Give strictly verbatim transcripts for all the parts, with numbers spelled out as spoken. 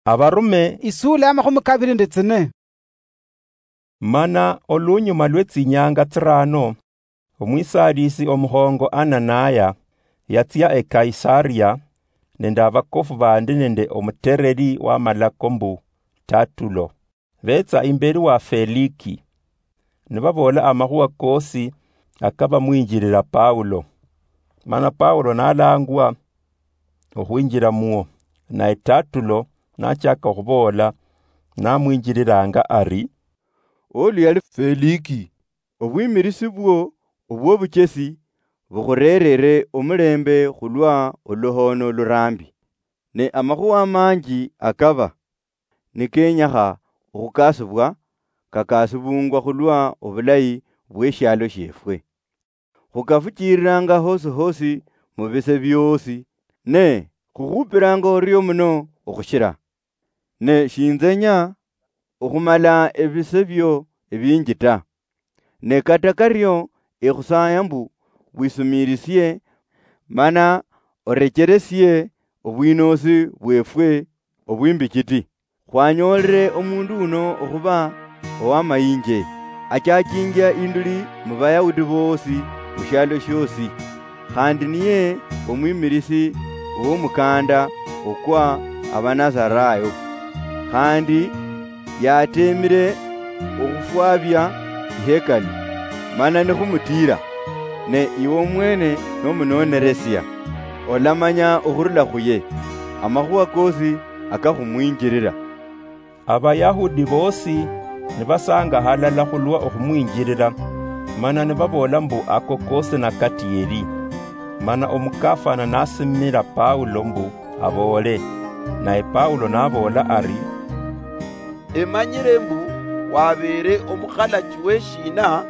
Abarume isula ya makhumi kabiri nende tsine. Mana olunyuma lwe tsinyanga tsirano, omwisalisi omukhongo Ananaya yatsia e Kaisaria nende abakofu bandi nende omutereri w'amalako mbu Tatulo. Betsa imberi wa Feliki, nibaboola amakhuwa kosi akabamwinjirira Paulo. Mana Paulo nalangwa okhwinjira muo, naye Tatulo nachaka okhuboola, namwinjiriranga ari, "Oli yali Feliki, obwimirisi bwo obw'obuchesi bukhureerere omulembe khulwa oluhoono lurambi. Ne amakhuwa manji akaba nikenyakha okhukasibwa, kakasibungwa khulwa obulayi bw'eshialo shiefwe. Khukafuchiriranga hosi hosi mu bise byoosi, ne khukhupiranga orio muno okhushira. Ne shinzenya okhumala ebise bio ebinji ta. Ne kata kario ekhusaya mbu wisumiirisie, mana orecheresie obwinoosi bwefwe obwimbichiti. Khwanyoolere omundu uno okhuba owamayinje, achachinjia induli mu Bayahudi boosi mu shialo shiosi, khandi niye omwimirisi w'omukanda okwa Abanazarayo. Khandi yatemire okhufwabia ihekalu, mana nikhumutiira, ne iwe omwene nomunoneresia, olamanya okhurula khuye amakhuwa kosi akakhumwinjirira." Abayahudi boosi nibasangahalala khulwa okhumwinjirira, mana nibaboola mbu ako kosi nakatiyeri. Mana omukafana nasimira Paulo mbu aboole, naye Paulo naboola ari, "Emanyire mbu wabeere omukhalachi w'eshiina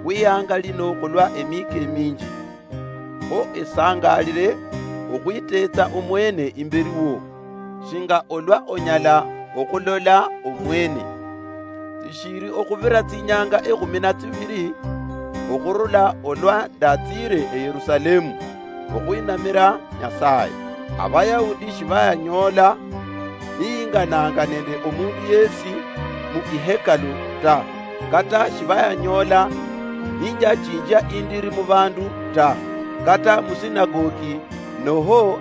khwihanga lino khulwa emiika eminji. Kho esangalire okhwiteetsa omwene imberi wo, shinga olwa onyala okhulola omwene. Tsishiri okhubira tsinyanga ekhumi na tsibiri okhurula olwa ndatsiire e Yerusalemu okhwinamira Nyasaye. Abayahudi shibayanyoola niyingananga nende omundu yesi mu ihekalu ta, kata shibayanyoola ninjachinjia indiri mu bandu ta, kata mu sinagogi, noho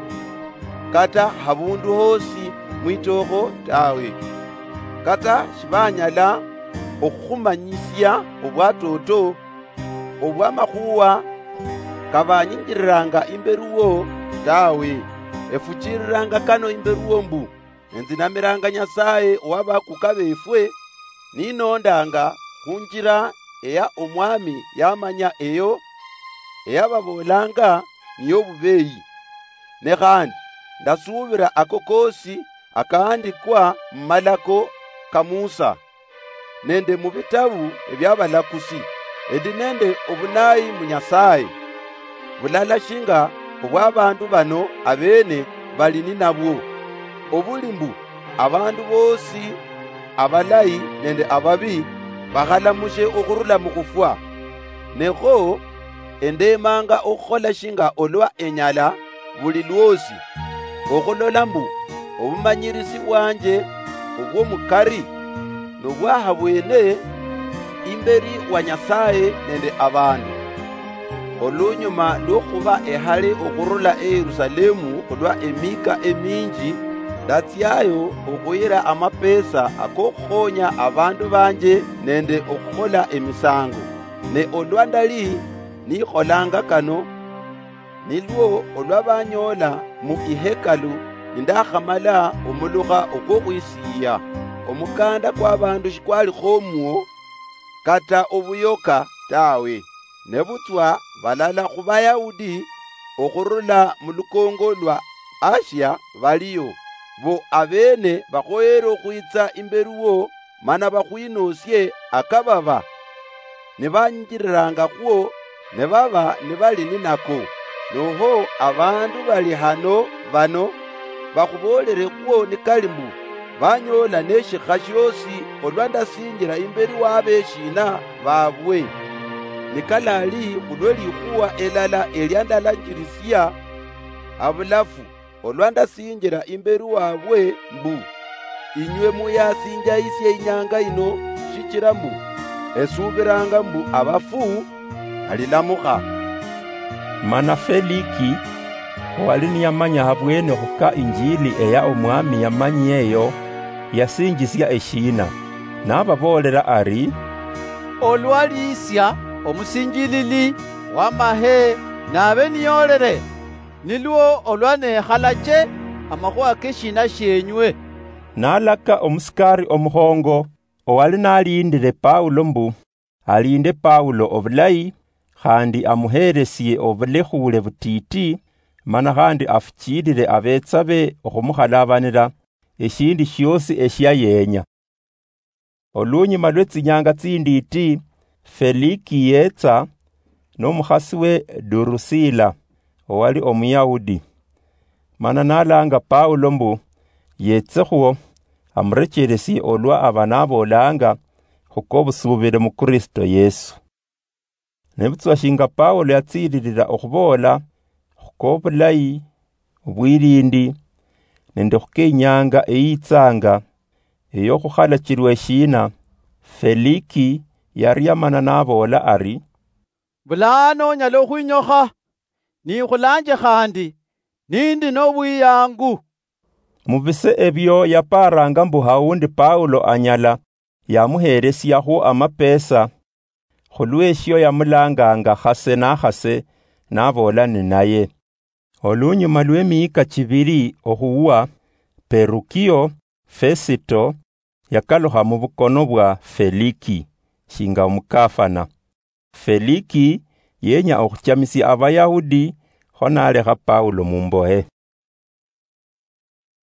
kata habundu hosi mwitookho tawe. Kata shibanyala okhukhumanyisia obwatoto obwamakhuwa kabanyinjiriranga imberi wo tawe. Efuchiriranga kano imberi wo mbu, enzinamiranga Nyasaye owa bakuka befwe, ninondanga khunjira eya Omwami yamanya eyo eyababoolanga niyo bubeyi. Ne khandi ndasuubira ako koosi akahandikwa mu malako ka Musa, nende mu bitabu ebiabalakusi, endi nende obunayi mu Nyasaye, bulala shinga obwabandu bano abene bali ninabwo, obuli mbu abandu boosi abalayi nende ababi bakhalamushe okhurula mukhufwa. Nekho endemanga okhukhola shinga olwa enyala buli lwosi, okhulola mbu obumanyirisi bwanje obwomukari nobwahabwene imberi wa Nyasaye nende abandu. Olunyuma lwokhuba ehale okhurula e Yerusalemu khulwa emika eminji, ndatsiayo okhuyira amapesa akokhukhonya abandu banje nende okhukhola emisango. Ne olwa ndali nikholanga kano, nilwo olwa banyoola mu ihekalu nindakhamala omulukha okwokhwisiiya, omukanda kwabandu shikwalikho omwo kata obuyoka tawe. Nebutswa balala khu Bayahudi okhurula mu lukongo lwa Asia baliyo, bo abene bakhoyere okhwitsa imberi wo mana bakhwinoosie akababa nibanjirirangakhwo, ne baba nibali ninako. Noho abandu bali hano bano bakhuboolerekhwo nikali mbu, banyoola neshikha shiosi olwa ndasinjira imberi wabeshiina babwe, nikalali khulwe likhuwa elala elia ndalanjirisia habulafu olwa ndasinjira imberi wabwe mbu, "Inywe muyasinjaisia inyanga ino, shichira mbu esuubiranga mbu abafu balilamukha." Mana Feliki, owali niyamanya habwene okhuka injili eya Omwami yamanyia eyo, yasinjisia eshiina, nababoolera ari, "Olwaliisia omusinjilili wamahe nabe niyoolere, nilwo olwa nekhalache amakhuwa keshiina shienywe." Nalaka omusikari omukhongo owali nalindire Paulo mbu alinde Paulo obulayi, khandi amuheresie obulekhuule butiiti, mana khandi afuchilire abetsa be okhumukhalabanira eshindu shiosi eshia yenya. Olunyuma lwe tsinyanga tsindiiti, Feliki yetsa nomukhasi we Durusila, owali Omuyahudi, mana nalanga Paulo mbu yetsekhwo amurecheresie olwa aba naboolanga khukobusubire mu Kristo Yesu. Nebutswa shinga Paulo yatsiililira okhuboola khukobulayi, obwilindi, nende khukenyanga eyitsanga eyokhukhalachilwa eshiina, Feliki yariamana naboola ari, "Bulano onyala okhwinyokha, nikhulanje khandi nindi nobwiyangu." Mubise ebio yaparanga mbu haundi Paulo anyala yamuheresiakhwo amapesa, khulweshio yamulanganga khase nakhase, naboola ninaye. Olunyuma lwemihika chibiri okhuwa, Perukio Fesito yakalukha mubukono bwa Feliki shinga omukafana. Feliki yenya okhuchamisia Abayahudi, kho nalekha Paulo mumbohe.